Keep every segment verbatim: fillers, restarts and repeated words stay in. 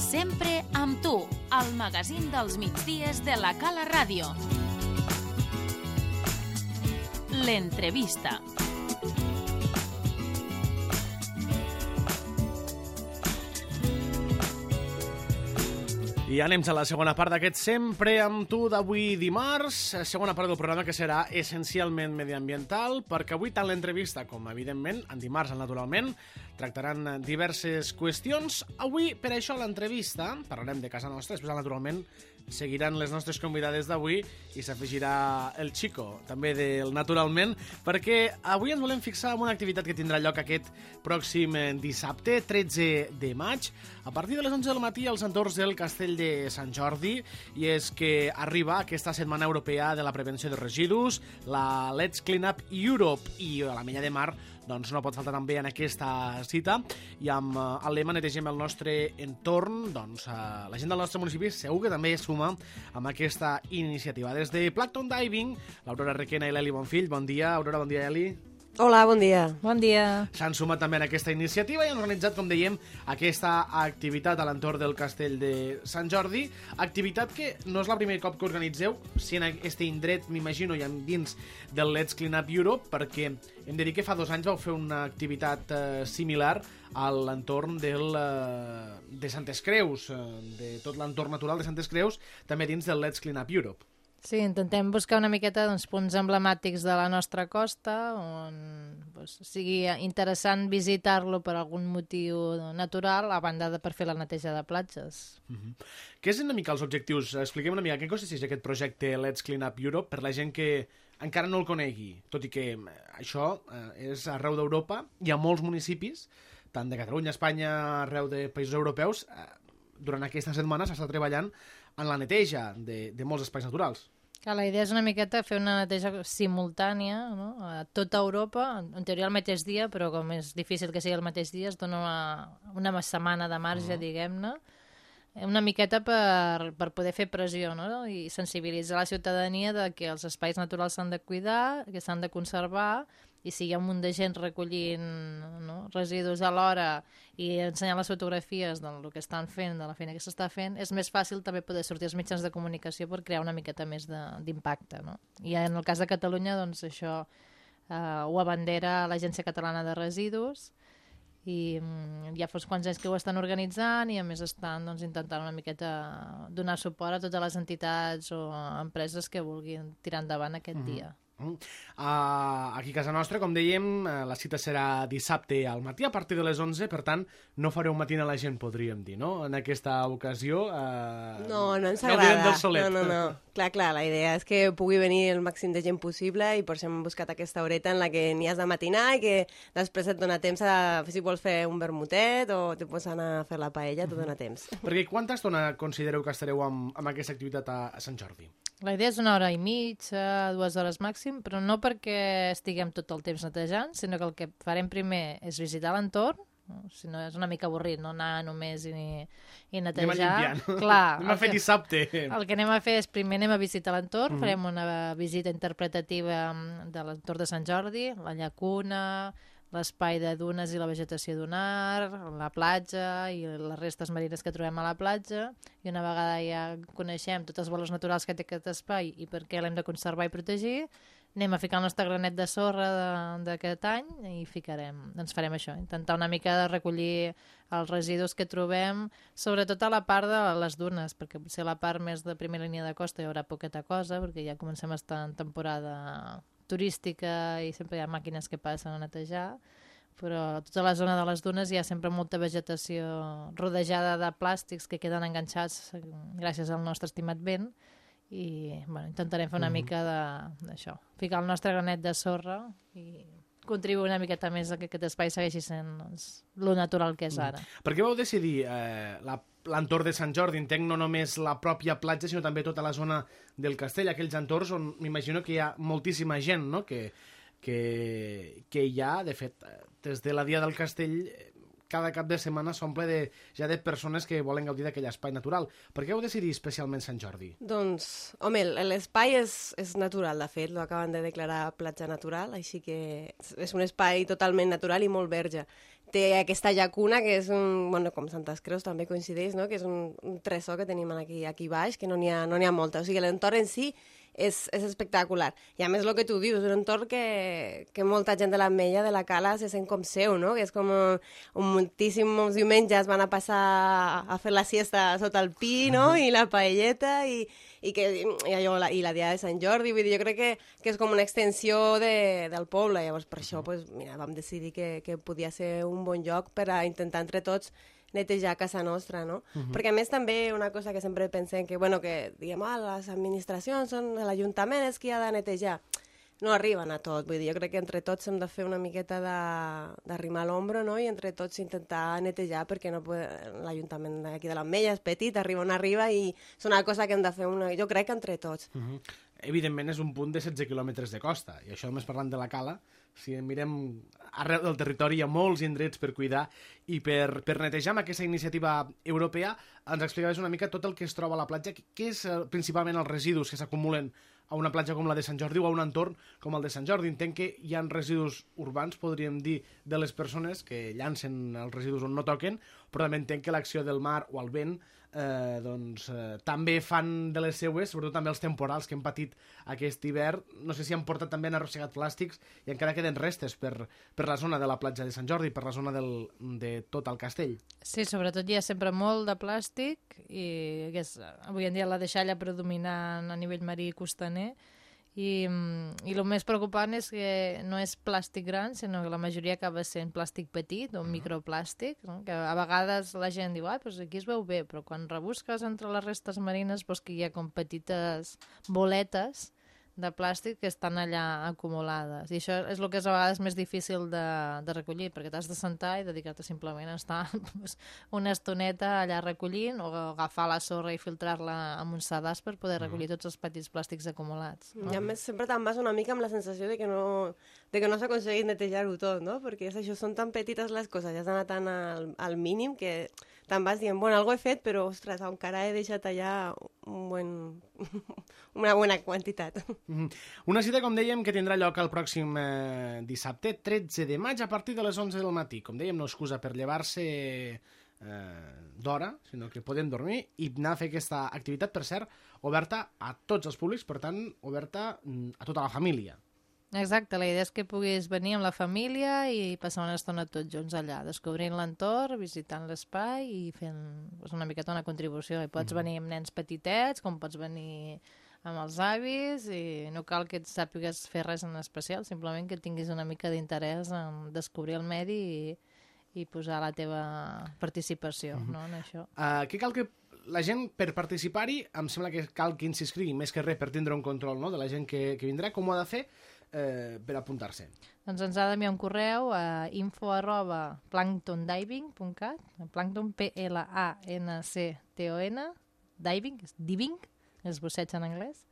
Sempre amb tu, al magazín dels migdies de la Cala Ràdio. L'entrevista. I anem a la segona part d'aquest Sempre amb tu d'avui dimarts, segona part del programa que serà essencialment mediambiental, perquè avui tant l'entrevista com, evidentment, en dimarts, naturalment, tractaran diverses qüestions. Avui, per això, l'entrevista, parlarem de casa nostra, després, naturalment, seguiran les nostres convidades d'avui i s'afegirà el Chico, també del Naturalment, perquè avui ens volem fixar en una activitat que tindrà lloc aquest pròxim dissabte, tretze de maig, a partir de les onze del matí als entorns del Castell de Sant Jordi, i és que arriba aquesta Setmana Europea de la Prevenció de Residus, la Let's Clean Up Europe, i a la Mella de Mar doncs no pot faltar també en aquesta cita, i amb uh, el lema Netegem el nostre entorn, doncs uh, la gent del nostre municipi segur que també es suma amb aquesta iniciativa. Des de Plankton Diving, l'Aurora Requena i l'Eli Bonfill, bon dia. Aurora, bon dia, Eli. Hola, bon dia. Bon dia. S'han sumat també en aquesta iniciativa i han organitzat, com dèiem, aquesta activitat a l'entorn del Castell de Sant Jordi, activitat que no és la primer cop que organitzeu, si en aquest indret, m'imagino, i dins del Let's Clean Up Europe, perquè hem de dir que fa dos anys vau fer una activitat eh, similar a l'entorn del, eh, de Santes Creus, eh, de tot l'entorn natural de Santes Creus, també dins del Let's Clean Up Europe. Sí, intentem buscar una miqueta doncs, punts emblemàtics de la nostra costa on doncs, sigui interessant visitar-lo per algun motiu natural, a banda de per fer la neteja de platges. Uh-huh. Què és una mica els objectius? Expliquem una mica què consisteix aquest projecte Let's Clean Up Europe per la gent que encara no el conegui, tot i que això eh, és arreu d'Europa, hi ha molts municipis, tant de Catalunya, Espanya, arreu de països europeus, eh, durant aquesta setmana s'està treballant en la neteja de, de molts espais naturals. Que la idea és una miqueta fer una neteja simultània, no? A tota Europa, en teoria el mateix dia, però com és difícil que sigui el mateix dia, es dona una, una setmana de marge, uh-huh. diguem-ne, una miqueta per, per poder fer pressió, no? I sensibilitzar la ciutadania de que els espais naturals s'han de cuidar, que s'han de conservar, i si hi ha un munt de gent recollint, no, residus a l'hora i ensenyant les fotografies del que estan fent, de la feina que s'està fent, és més fàcil també poder sortir als mitjans de comunicació per crear una miqueta més d'impacte, no? I en el cas de Catalunya, doncs això eh, ho abandera l'Agència Catalana de Residus, i mm, ja fa uns quants anys que ho estan organitzant i a més estan doncs, intentant una miqueta donar suport a totes les entitats o empreses que vulguin tirar endavant aquest mm-hmm. dia. Uh, aquí a casa nostra, com dèiem, la cita serà dissabte al matí a partir de les onze, per tant no fareu matina a la gent, podríem dir, no? En aquesta ocasió uh, no, no ens agrada no, no, no. Clar, clar, la idea és que pugui venir el màxim de gent possible i per això hem buscat aquesta horeta en la que n'hi has de matinar i que després et dona temps a, si vols fer un vermutet o te pots anar a fer la paella, t'ho dona temps. Perquè quanta estona considereu que estareu amb, amb aquesta activitat a, a Sant Jordi? La idea és una hora i mitja, dues hores màxim, però no perquè estiguem tot el temps netejant, sinó que el que farem primer és visitar l'entorn, no? Si no és una mica avorrit, no anar només i, i netejar. Anem a limpiar. Clar, anem a fer dissabte. El que anem a fer és primer anem a visitar l'entorn, mm-hmm. farem una visita interpretativa de l'entorn de Sant Jordi, la llacuna, l'espai de dunes i la vegetació dunar, la platja i les restes marines que trobem a la platja, i una vegada ja coneixem tots els valors naturals que té aquest espai i per què l'hem de conservar i protegir, anem a ficar el nostre granet de sorra d'aquest any i ficarem, doncs farem això, intentar una mica de recollir els residus que trobem, sobretot a la part de les dunes, perquè potser a la part més de primera línia de costa hi haurà poqueta cosa, perquè ja comencem a estar en temporada turística i sempre hi ha màquines que passen a netejar, però a tota la zona de les dunes hi ha sempre molta vegetació rodejada de plàstics que queden enganxats gràcies al nostre estimat vent i bueno, intentarem fer una mm-hmm. mica d'això, ficar el nostre granet de sorra i contribuir una miqueta més a que aquest espai segueixi sent doncs, lo natural que és ara. Mm. Per què vau decidir eh, l'entorn de Sant Jordi? Entenc no només la pròpia platja, sinó també tota la zona del castell, aquells entorns on m'imagino que hi ha moltíssima gent, no? que, que, que hi ha, de fet, des de la Dia del Castell, cada cap de setmana s'omple de, ja de persones que volen gaudir d'aquell espai natural. Per què heu decidit especialment Sant Jordi? Doncs, home, l'espai és, és natural, de fet, lo acaben de declarar platja natural, així que és un espai totalment natural i molt verge. Té aquesta llacuna, que és un, bueno, com Santes Creus també coincideix, no? Que és un, un tresor que tenim aquí, aquí baix, que no n'hi ha, no n'hi ha molta. O sigui, l'entorn en si és, és espectacular. I a més, el que tu dius, un entorn que, que molta gent de l'Ametlla, de la Cala, se sent com seu, no? Que és com un, un moltíssims diumenges van a passar a fer la siesta sota el pi, no? I la paelleta, i, i, que, i, allò, la, i la dia de Sant Jordi. Vull dir, jo crec que, que és com una extensió de, del poble. Llavors, per això, pues, mira, vam decidir que, que podia ser un bon lloc per a intentar entre tots netejar casa nostra, no? Uh -huh. Perquè a més també una cosa que sempre pensem que, bueno, que diguem, ah, les administracions són l'Ajuntament és qui ha de netejar. No arriben a tot, vull dir, jo crec que entre tots hem de fer una miqueta d'arrimar l'ombro, no? I entre tots intentar netejar, perquè no l'Ajuntament d'aquí de l'Ametlla és petit, arriba on arriba, i és una cosa que hem de fer, una, jo crec que entre tots. Uh -huh. Evidentment és un punt de setze quilòmetres de costa, i això només parlant de la Cala, si mirem arreu del territori hi ha molts indrets per cuidar i per, per netejar amb aquesta iniciativa europea. Ens explicaves una mica tot el que es troba a la platja, què és principalment els residus que s'acumulen a una platja com la de Sant Jordi o a un entorn com el de Sant Jordi. Entenc que hi ha residus urbans, podríem dir, de les persones que llancen els residus on no toquen, però també entenc que l'acció del mar o el vent eh, doncs, eh, també fan de les seues, sobretot també els temporals que hem patit aquest hivern. No sé si han portat també, han arrossegat plàstics i encara queden restes per, per la zona de la platja de Sant Jordi, per la zona del, de tot el castell. Sí, sobretot hi ha sempre molt de plàstic i que és, avui en dia la deixalla predominant a nivell marí i costaner. I, i el més preocupant és que no és plàstic gran, sinó que la majoria acaba sent plàstic petit o microplàstic, no? Que a vegades la gent diu, ah, doncs aquí es veu bé, però quan rebusques entre les restes marines veus que hi ha com petites boletes de plàstic que estan allà acumulades. I això és el que és a vegades més difícil de, de recollir, perquè t'has de sentar i dedicar-te simplement a estar una estoneta allà recollint o agafar la sorra i filtrar-la amb un sedàs per poder recollir tots els petits plàstics acumulats. I a més sempre te'n vas una mica amb la sensació de que no, de que no s'ha aconseguit netejar-ho tot, no? Perquè és això, són tan petites les coses, ja has d'anar tan al, al mínim que te'n vas dient, bueno, algo he fet, però, ostres, encara he deixat allà un buen, una bona quantitat. Mm-hmm. Una cita, com dèiem, que tindrà lloc el pròxim eh, dissabte, tretze de maig, a partir de les onze del matí. Com dèiem, no excusa per llevar-se eh, d'hora, sinó que podem dormir i anar a fer aquesta activitat, per cert, oberta a tots els públics, per tant, oberta a tota la família. Exacte, la idea és que puguis venir amb la família i passar una estona tots junts allà, descobrint l'entorn, visitant l'espai i fent pues, una miqueta una contribució. I pots mm. venir amb nens petitets, com pots venir amb els avis, i no cal que et sàpigues fer res en especial, simplement que tinguis una mica d'interès en descobrir el medi i, i posar la teva participació mm-hmm. no, en això. Uh, què cal que la gent, per participar-hi, em sembla que cal que s'inscrigui més que res per tindre un control, no?, de la gent que, que vindrà. Com ho ha de fer eh, per apuntar-se? Doncs ens ha d'enviar un correu a info arroba planktondiving punt cat, plankton, P L A N C T O N, diving, és diving, és busseig en anglès,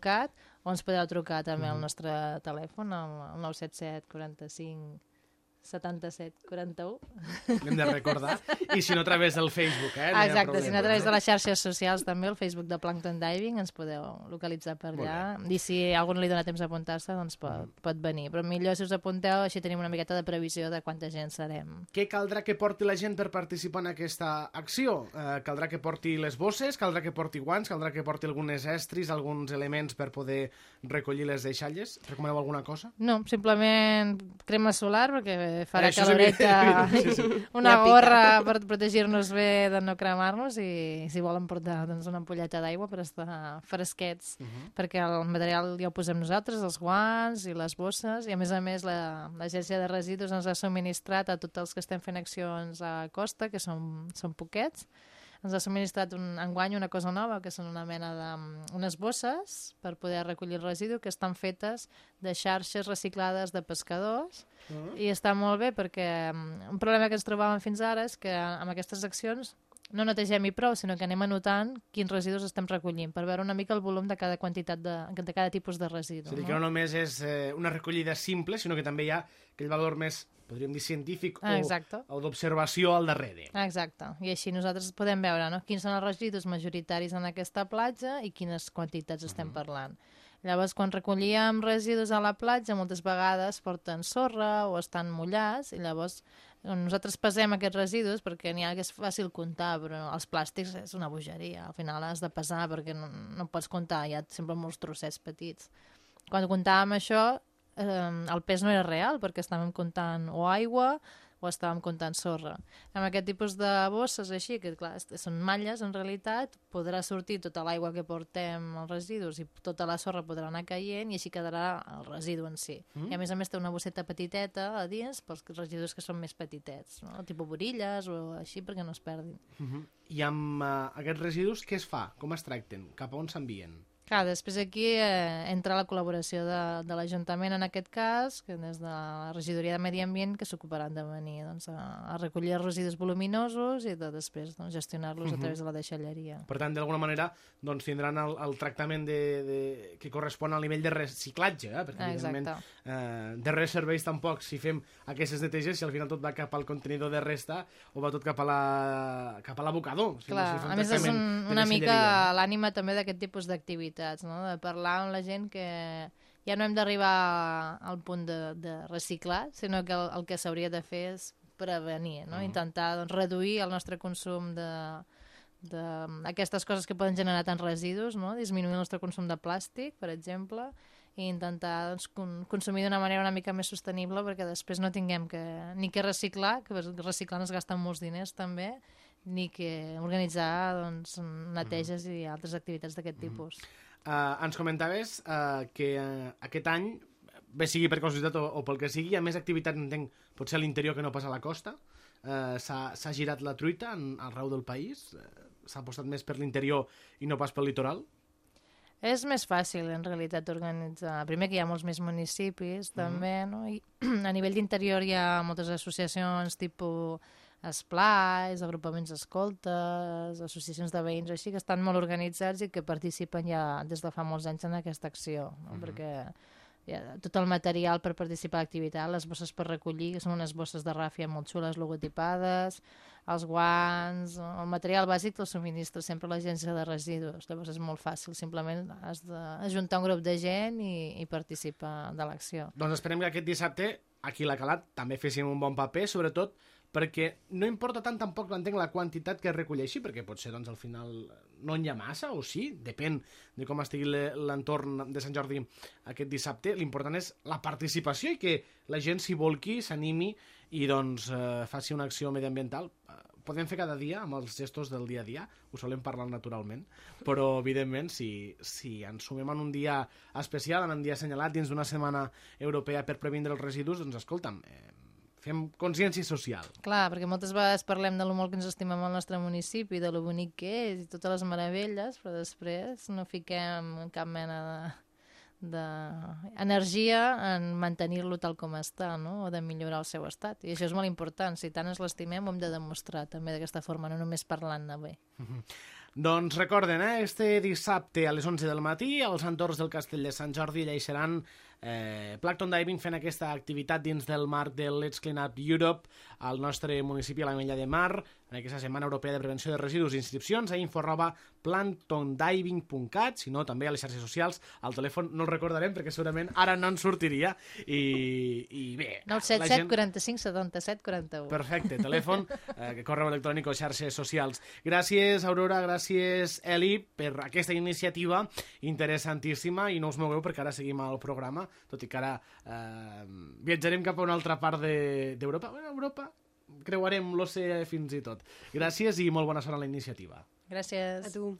.cat, o ens podeu trucar també al nostre telèfon, al nou set set quaranta-cinc setanta-set quaranta-u. L'hem de recordar. I si no, a través del Facebook, eh? No exacte, si no, a través de les xarxes socials també, el Facebook de Plankton Diving, ens podeu localitzar per allà. I si a algú no li dona temps d'apuntar-se, doncs pot, mm. pot venir. Però millor si us apunteu, així tenim una miqueta de previsió de quanta gent serem. Què caldrà que porti la gent per participar en aquesta acció? Eh, caldrà que porti les bosses, caldrà que porti guants, caldrà que porti algunes estris, alguns elements per poder recollir les deixalles? Recomaneu alguna cosa? No, simplement crema solar, perquè farà eh, caloreta, sí, sí. una gorra per protegir-nos bé de no cremar-nos i si volen portar doncs, una ampolleta d'aigua per estar fresquets, uh -huh. perquè el material ja ho posem nosaltres, els guants i les bosses, i a més a més l'agència de residus ens ha subministrat a tots els que estem fent accions a costa, que són, són poquets, ens ha subministrat un, enguany una cosa nova, que són una mena de... unes bosses per poder recollir el residu que estan fetes de xarxes reciclades de pescadors, uh-huh. i està molt bé perquè un problema que ens trobàvem fins ara és que amb aquestes accions no netegem i prou, sinó que anem anotant quins residus estem recollint, per veure una mica el volum de cada quantitat de, de cada tipus de residu. És a dir, no? que no només és eh, una recollida simple, sinó que també hi ha aquell valor més podríem dir, científic ah, o, o d'observació al darrere. Exacte. I així nosaltres podem veure, no?, quins són els residus majoritaris en aquesta platja i quines quantitats estem uh-huh. parlant. Llavors, quan recollíem residus a la platja, moltes vegades porten sorra o estan mullats, i llavors nosaltres pesem aquests residus perquè n'hi ha que és fàcil comptar, però els plàstics és una bogeria. Al final has de pesar perquè no, no pots comptar, hi ha sempre molts trossets petits. Quan comptàvem això, eh, el pes no era real perquè estàvem comptant o aigua o estàvem comptant sorra. Amb aquest tipus de bosses així, que clar, són malles en realitat, podrà sortir tota l'aigua que portem als residus i tota la sorra podrà anar caient i així quedarà el residu en si. Mm. I a més a més té una bosseta petiteta a dins pels residus que són més petitets, no? Tipus borilles o així perquè no es perdin. Mm -hmm. I amb uh, aquests residus què es fa? Com es tracten? Cap a on s'envien? Clar, després aquí eh, entra la col·laboració de, de l'Ajuntament en aquest cas, que des de la Regidoria de Medi Ambient, que s'ocuparan de venir doncs, a, a recollir els residus voluminosos i de després doncs, gestionar-los uh-huh. a través de la deixalleria. Per tant, d'alguna manera doncs, tindran el, el tractament de, de, que correspon al nivell de reciclatge, eh? Perquè evidentment eh, de res serveix tampoc si fem aquestes neteges si al final tot va cap al contenidor de resta o va tot cap a la, cap a l'abocador. Si Clar, no, si a més és un, una mica l'ànima també d'aquest tipus d'activitats, no? De parlar amb la gent que ja no hem d'arribar al punt de, de reciclar, sinó que el, el que s'hauria de fer és prevenir, no? Uh-huh. Intentar doncs, reduir el nostre consum d'aquestes coses que poden generar tants residus, no? Disminuir el nostre consum de plàstic, per exemple, i intentar doncs, con consumir d'una manera una mica més sostenible perquè després no tinguem que, ni que reciclar, que reciclar ens gasten molts diners també, ni que organitzar doncs, neteges uh-huh. i altres activitats d'aquest uh-huh. tipus. Uh, ens comentaves uh, que uh, aquest any, bé sigui per casualitat o, o pel que sigui, hi ha més activitat, entenc, potser a l'interior que no pas a la costa. Uh, S'ha girat la truita en, arreu del país? Uh, S'ha apostat més per l'interior i no pas pel litoral? És més fàcil, en realitat, organitzar. Primer que hi ha molts més municipis, també, uh-huh. no? I a nivell d'interior hi ha moltes associacions, tipus esplais, agrupaments escoltes, associacions de veïns, així, que estan molt organitzats i que participen ja des de fa molts anys en aquesta acció, no? Uh-huh. Perquè hi ha tot el material per participar a l'activitat, les bosses per recollir, que són unes bosses de ràfia molt xules, logotipades, els guants, el material bàsic el subministra sempre l'agència de residus, llavors és molt fàcil, simplement has d'ajuntar un grup de gent i, i participar de l'acció. Doncs esperem que aquest dissabte, aquí a la Calat, també féssim un bon paper, sobretot perquè no importa tant tampoc, entenc, la quantitat que es recolleixi, perquè potser doncs, al final no n'hi ha massa, o sí, depèn de com estigui l'entorn de Sant Jordi aquest dissabte. L'important és la participació i que la gent s'hi volqui, s'animi i doncs eh, faci una acció mediambiental. Podem fer cada dia amb els gestos del dia a dia, ho solem parlar naturalment, però evidentment si, si ens sumem en un dia especial, en un dia assenyalat dins d'una setmana europea per previndre els residus, doncs escolta'm, eh, fem consciència social. Clar, perquè moltes vegades parlem de lo molt que ens estimem al nostre municipi, de lo bonic que és i totes les meravelles, però després no fiquem cap mena d'energia de, en mantenir-lo tal com està, no? O de millorar el seu estat. I això és molt important. Si tant ens l'estimem, ho hem de demostrar també d'aquesta forma, no només parlant-ne bé. Mm-hmm. Doncs recorden, eh, este dissabte a les onze del matí, als entorns del Castell de Sant Jordi, allà hi seran eh, Plankton Diving fent aquesta activitat dins del marc de Let's Clean Up Europe al nostre municipi, a la Mella de Mar, en aquesta Setmana Europea de Prevenció de Residus. Inscripcions a info arroba planktondiving punt cat, si no, també a les xarxes socials. El telèfon no el recordarem perquè segurament ara no ens sortiria. I, i bé... nou set set, quaranta-cinc, setanta-set, quaranta-u. Perfecte, telèfon, eh, correu electrònic o xarxes socials. Gràcies, Aurora, gràcies, Eli, per aquesta iniciativa interessantíssima, i no us mogueu perquè ara seguim al programa, tot i que ara eh, viatjarem cap a una altra part d'Europa. De, bueno, Europa, creuarem l'oceà fins i tot. Gràcies i molt bona sort a la iniciativa. Gràcies. A tu.